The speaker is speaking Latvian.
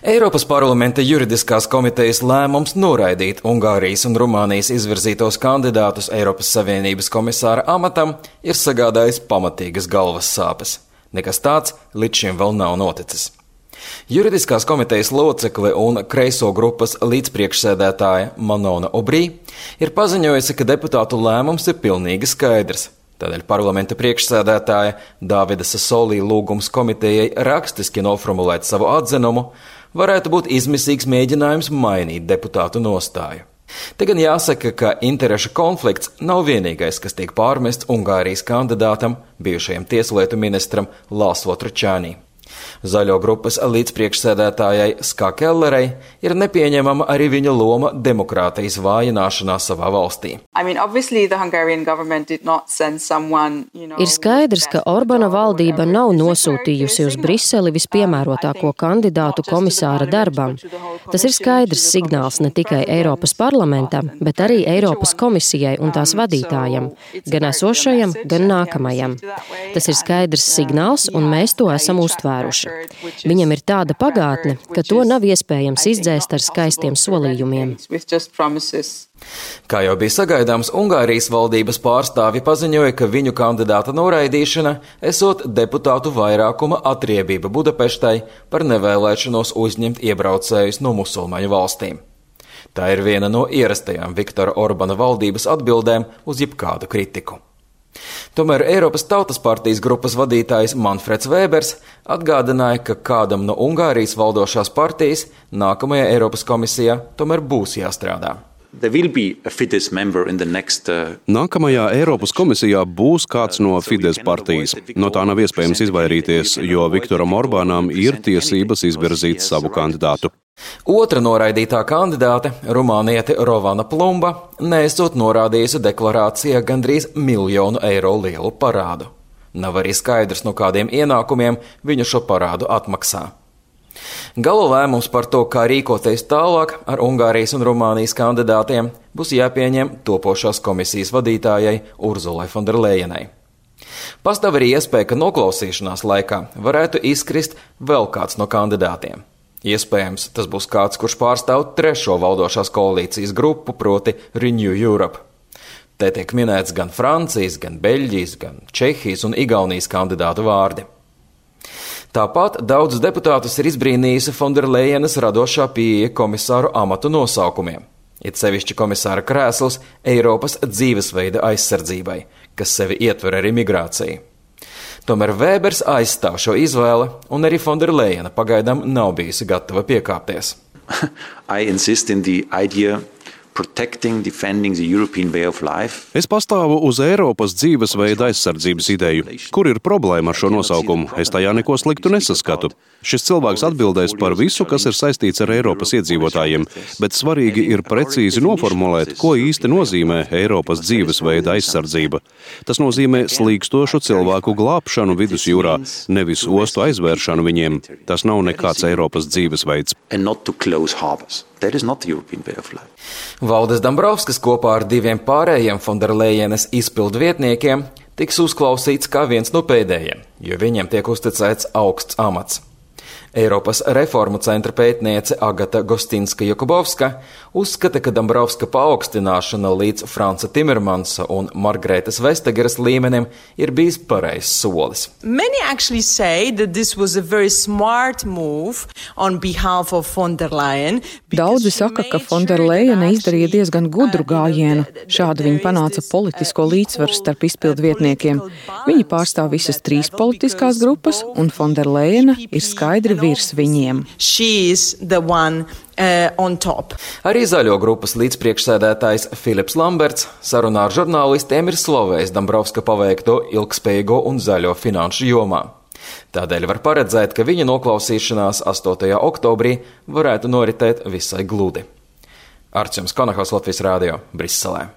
Eiropas parlamenta juridiskās komitejas lēmums noraidīt Ungārijas un Rumānijas izvirzītos kandidātus Eiropas Savienības komisāra amatam ir sagādājis pamatīgas galvas sāpes. Nekas tāds līdz šim vēl nav noticis. Juridiskās komitejas locekle un kreiso grupas līdzpriekšsēdētāja Manona Obrī ir paziņojusi, ka deputātu lēmums ir pilnīgi skaidrs. Tādēļ parlamenta priekšsēdētāja Dāvida Sasolī lūgums komitejai rakstiski noformulēt savu atzinumu varētu būt izmisīgs mēģinājums mainīt deputātu nostāju. Te gan jāsaka, ka interešu konflikts nav vienīgais, kas tiek pārmests Ungārijas kandidātam, bijušajam tieslietu ministram Laslo Tručānī. Zaļo grupas līdzpriekšsēdētājai Ska Kellerei ir nepieņemama arī viņa loma demokrātijas vājināšanā savā valstī. Ir skaidrs, ka Orbana valdība nav nosūtījusi uz Briseli vispiemērotāko kandidātu komisāra darbam. Tas ir skaidrs signāls ne tikai Eiropas parlamentam, bet arī Eiropas komisijai un tās vadītājam, gan esošajam, gan nākamajam. Tas ir skaidrs signāls, un mēs to esam uztvēruši. Viņam ir tāda pagātne, ka to nav iespējams izdzēst ar skaistiem solījumiem. Kā jau bija sagaidāms, Ungārijas valdības pārstāvji paziņoja, ka viņu kandidāta noraidīšana esot deputātu vairākuma atriebība Budapeštai par nevēlēšanos uzņemt iebraucējus no musulmaņu valstīm. Tā ir viena no ierastajām Viktora Orbana valdības atbildēm uz jebkādu kritiku. Tomēr Eiropas Tautas partijas grupas vadītājs Manfreds Vēbers atgādināja, ka kādam no Ungārijas valdošās partijas nākamajā Eiropas komisijā tomēr būs jāstrādā. Nākamajā Eiropas komisijā būs kāds no Fides partijas. No tā nav iespējams izvairīties, jo Viktoram Orbānam ir tiesības izvirzīt savu kandidātu. Otra noraidītā kandidāte, rumāniete Rovana Plumba, neesot norādījusi deklarācijā gandrīz 1 miljonu eiro lielu parādu. Nav arī skaidrs, no kādiem ienākumiem viņa šo parādu atmaksā. Gala lēmums par to, kā rīkoties tālāk ar Ungārijas un Rumānijas kandidātiem, būs jāpieņem topošās komisijas vadītājai Urzulai Fonderlejenai. Pastāv arī iespēja, ka noklausīšanās laikā varētu izkrist vēl kāds no kandidātiem. Iespējams, tas būs kāds, kurš pārstāv trešo valdošās koalīcijas grupu, proti Renew Europe. Te tiek minēts gan Francijas, gan Beļģijas, gan Čehijas un Igaunijas kandidātu vārdi. Tāpat daudzus deputātus ir izbrīnījusi Fonderlejenas radošā pieeja komisāru amatu nosaukumiem. It sevišķi komisāra krēsls Eiropas dzīvesveida aizsardzībai, kas sevi ietver arī migrāciju. Tomēr Vēbers aizstāv šo izvēli, un arī Fonderlejena pagaidām nav bijusi gatava piekāpties. Es pastāvu uz Eiropas dzīvesveida aizsardzības ideju. Kur ir problēma ar šo nosaukumu? Es tajā neko sliktu nesaskatu. Šis cilvēks atbildēs par visu, kas ir saistīts ar Eiropas iedzīvotājiem, bet svarīgi ir precīzi noformulēt, ko īsti nozīmē Eiropas dzīvesveida aizsardzība. Tas nozīmē slīkstošu cilvēku glābšanu vidusjūrā, nevis ostu aizvēršanu viņiem. Tas nav nekāds Eiropas dzīvesveids. Valdis Dombrovskis kopā ar 2 pārējiem Fonderlejenas izpildvietniekiem tiks uzklausīts kā viens no pēdējiem, jo viņiem tiek uzticēts augsts amats. Eiropas reformu centra pētniece Agata Gostinska-Jakubovska uzskata, ka Dombrovska paaugstināšana līdz Franca Timermansa un Margretas Vestageras līmenim ir bijis pareizs solis. Daudzi saka, ka Fonderlejena izdarīja diezgan gudru gājienu. Šādi viņa panāca politisko līdzsvaru starp izpildvietniekiem. Viņi pārstāv visas 3 politiskās grupas, un Fonderlejena ir skaidri virs viņiem. Arī zaļo grupas līdzpriekšsēdētājs Filips Lamberts sarunā ar žurnālistiem ir slavējis Dombrovska paveikto ilgspējīgo un zaļo finanšu jomā. Tādēļ var paredzēt, ka viņa noklausīšanās 8. oktobrī varētu noritēt visai gludi. Arčuns Konahaus, Latvijas Rādio, Briselē.